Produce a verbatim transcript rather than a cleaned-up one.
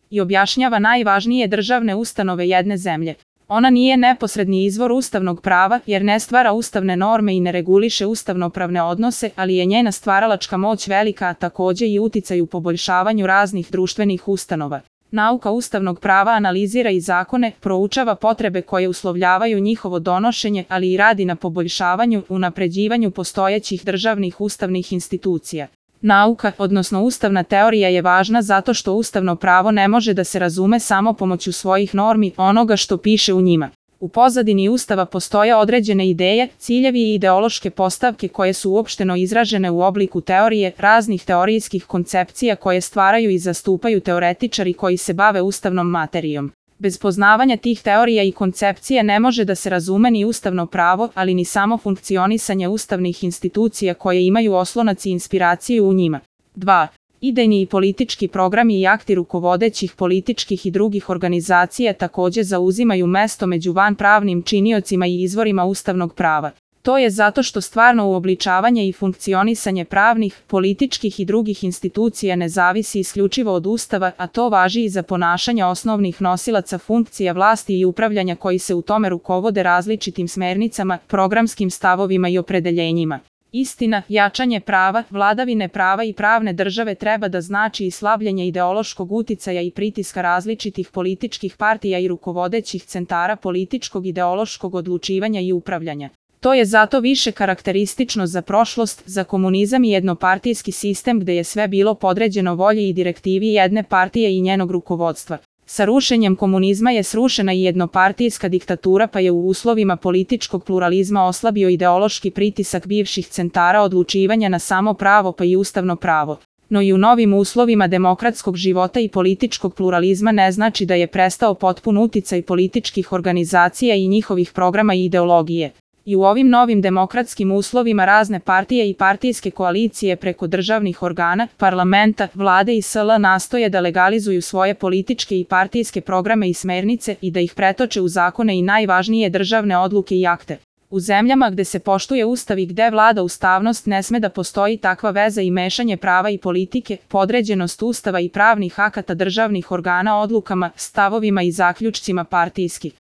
i objašnjava najvažnije državne ustanove jedne zemlje. Ona nije neposredni izvor ustavnog prava jer ne stvara ustavne norme i ne reguliše ustavnopravne odnose, ali je njena stvaralačka moć velika, a takođe i uticaj u poboljšavanju raznih društvenih ustanova. Nauka ustavnog prava analizira i zakone, proučava potrebe koje uslovljavaju njihovo donošenje, ali i radi na poboljšavanju, unapređivanju postojećih državnih ustavnih institucija. Nauka, odnosno ustavna teorija je važna zato što ustavno pravo ne može da se razume samo pomoću svojih normi, onoga što piše u njima. U pozadini Ustava postoje određene ideje, ciljevi i ideološke postavke koje su uopšteno izražene u obliku teorije, raznih teorijskih koncepcija koje stvaraju i zastupaju teoretičari koji se bave ustavnom materijom. Bez poznavanja tih teorija i koncepcija ne može da se razume ni ustavno pravo, ali ni samo funkcionisanje ustavnih institucija koje imaju oslonac i inspiraciju u njima. dva. Idejni i politički programi i akti rukovodećih političkih i drugih organizacija takođe zauzimaju mesto među vanpravnim činiocima i izvorima ustavnog prava. To je zato što stvarno uobličavanje i funkcionisanje pravnih, političkih i drugih institucija ne zavisi isključivo od Ustava, a to važi i za ponašanje osnovnih nosilaca funkcija vlasti i upravljanja koji se u tome rukovode različitim smernicama, programskim stavovima i opredeljenjima. Istina, jačanje prava, vladavine prava i pravne države treba da znači i slabljenje ideološkog uticaja i pritiska različitih političkih partija i rukovodećih centara političkog ideološkog odlučivanja i upravljanja. To je zato više karakteristično za prošlost, za komunizam i jednopartijski sistem gde je sve bilo podređeno volji i direktivi jedne partije i njenog rukovodstva. Sa rušenjem komunizma je srušena i jednopartijska diktatura pa je u uslovima političkog pluralizma oslabio ideološki pritisak bivših centara odlučivanja na samo pravo pa i ustavno pravo. No i u novim uslovima demokratskog života i političkog pluralizma ne znači da je prestao potpun uticaj političkih organizacija i njihovih programa i ideologije. I u ovim novim demokratskim uslovima razne partije i partijske koalicije preko državnih organa, parlamenta, vlade i S L nastoje da legalizuju svoje političke i partijske programe i smernice i da ih pretoče u zakone i najvažnije državne odluke i akte. U zemljama gde se poštuje Ustav i gde vlada ustavnost ne sme da postoji takva veza i mešanje prava i politike, podređenost Ustava i pravnih akata državnih organa odlukama, stavovima i zaključcima partijskih